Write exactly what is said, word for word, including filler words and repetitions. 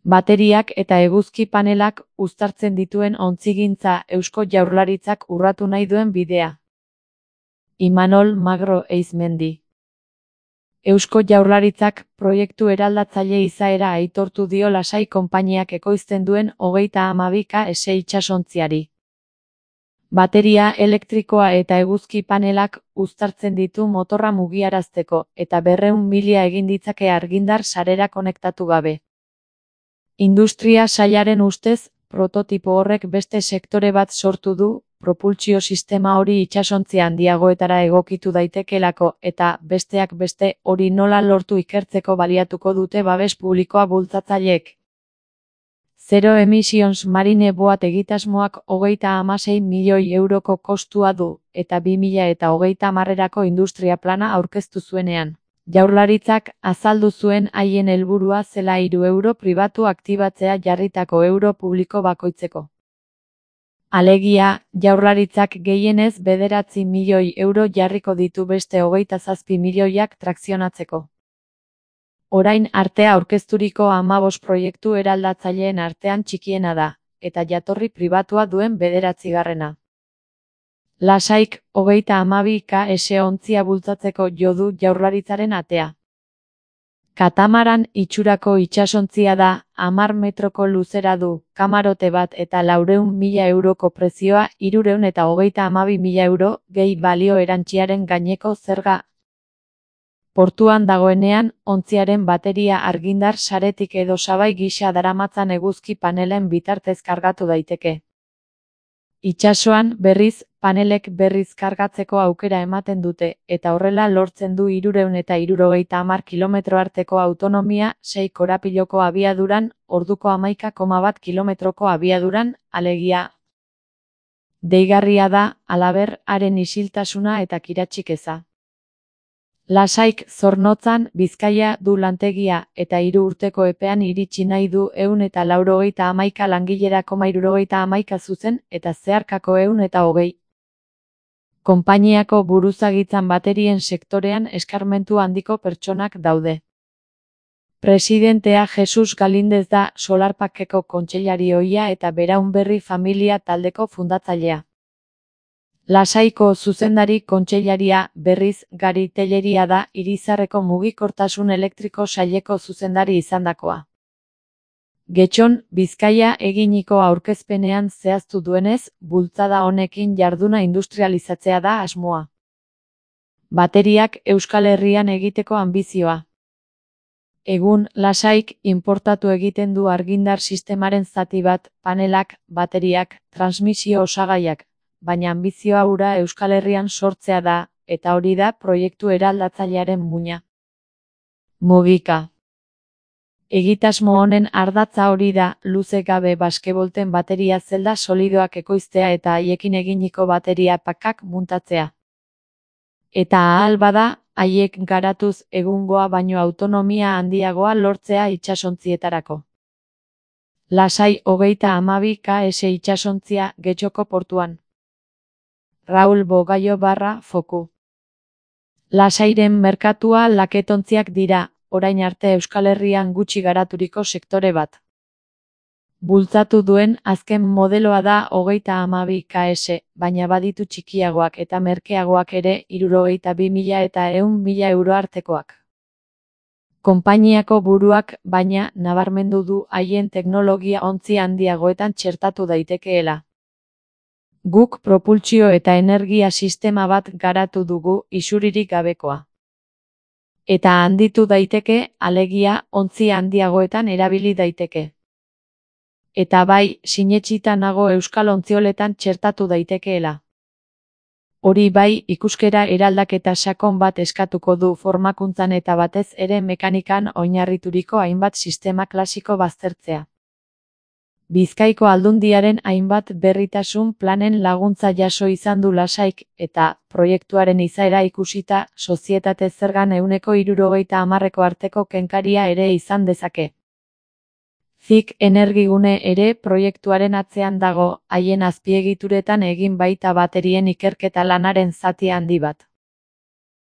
Bateriak eta eguzki panelak uztartzen dituen ontzigintza Eusko Jaurlaritzak urratu nahi duen bidea. Imanol Magro Eizmendi. Eusko Jaurlaritzak proiektu eraldatzaile izaera aitortu dio Lasai konpainiak ekoizten duen hogeita hamabi K S itsasontziari. Bateria elektrikoa eta eguzki panelak uztartzen ditu motorra mugiarazteko eta berrehun mila egin ditzake argindar sarera konektatu gabe. Industria sailaren ustez, prototipo horrek beste sektore bat sortu du, propultsio sistema hori itsasontzia handiagoetara egokitu daitekelako eta, besteak beste, hori nola lortu ikertzeko baliatuko dute babes publikoa bultzatzaileek. Zero Emissions Marine Boat egitasmoak hogeita hamasei milioi euroko kostua du, eta bi mila eta hogeita hamarrerako industria plana aurkeztu zuenean. Jaurlaritzak azaldu zuen haien helburua zela hiru euro pribatu aktibatzea jarritako euro publiko bakoitzeko. Alegia, Jaurlaritzak gehienez bederatzi milioi euro jarriko ditu beste hogeita zazpi milioiak trakzionatzeko. Orain arte aurkezturiko hamabost proiektu eraldatzaileen artean txikiena da, eta jatorri pribatua duen bederatzigarrena. Lasaik, hogeita hamabi K S ontzia bultzatzeko jo du Jaurlaritzaren atea. Katamaran itxurako itsasontzia da, hamar metroko luzera du, kamarote bat eta laurehun mila euroko prezioa hirurehun eta hogeita hamabi mila euro, gehi balio erantziaren gaineko zerga. Portuan dagoenean, ontziaren bateria argindar saretik edo sabai gisa daramatzan eguzki panelen bitartez kargatu daiteke. Itsasoan, berriz, panelek berriz kargatzeko aukera ematen dute, eta horrela lortzen du hirurehun eta hirurogeita hamar kilometro arteko autonomia, sei korapiloko abiaduran, orduko hamaika koma bat kilometroko abiaduran, alegia. Deigarria da, halaber, haren isiltasuna eta kiratsik eza. Lasaik Zornotzan, Bizkaia du lantegia, eta hiru urteko epean iritsi nahi du ehun eta laurogeita hamaika langilera koma hirurogeita hamaika zuzen, eta zeharkako ehun eta hogei. Konpainiako buruzagitzan baterien sektorean eskarmentu handiko pertsonak daude. Presidentea Jesus Galindez da Solarpackeko kontseilari ohia eta Beraunberri familia taldeko fundatzailea. Lasaiko zuzendari kontseilaria, berriz, Gari Telleria da Irizarreko mugikortasun elektriko saileko zuzendari izandakoa. Getxon, Bizkaia eginiko aurkezpenean zehaztu duenez, bultzada honekin jarduna industrializatzea da asmoa. Bateriak Euskal Herrian egiteko anbizioa. Egun, Lasaik inportatu egiten du argindar sistemaren zati bat, panelak, bateriak, transmisio osagaiak, baina anbizioa hura Euskal Herrian sortzea da, eta hori da proiektu eraldatzailearen muina. Mugika. Egitasmo honen ardatza hori da, luze gabe baskebolten bateria zelda solidoak ekoiztea eta haiekin eginiko bateria pakak muntatzea. Eta ahal bada, haiek garatuz egungoa baino autonomia handiagoa lortzea itsasontzietako. Lasai hogeita hamabi K S itsasontzia Getxoko portuan. Raul Bogaio barra foku. Lasairen merkatua laketontziak dira, orain arte Euskal Herrian gutxi garaturiko sektore bat. Bultzatu duen azken modeloa da hogeita hamabi K S, baina baditu txikiagoak eta merkeagoak ere hirurogeita bi mila eta ehun mila euro artekoak. Konpainiako buruak, baina, nabarmendu du haien teknologia ontzi handiagoetan txertatu daitekeela. Guk propultsio eta energia sistema bat garatu dugu isuririk gabekoa. Eta handitu daiteke, alegia, ontzi handiagoetan erabili daiteke. Eta bai, sinetsita nago euskal ontzioletan txertatu daitekeela. Hori bai, ikuskera eraldaketa sakon bat eskatuko du formakuntzan eta batez ere mekanikan oinarrituriko hainbat sistema klasiko baztertzea. Bizkaiko Aldundiaren hainbat berritasun planen laguntza jaso izan du Lasaik, eta, proiektuaren izaera ikusita, sozietate zergan ehuneko hirurogeita hamarreko arteko kenkaria ere izan dezake. Zik Energigune ere proiektuaren atzean dago, haien azpiegituretan egin baita baterien ikerketa lanaren zati handi bat.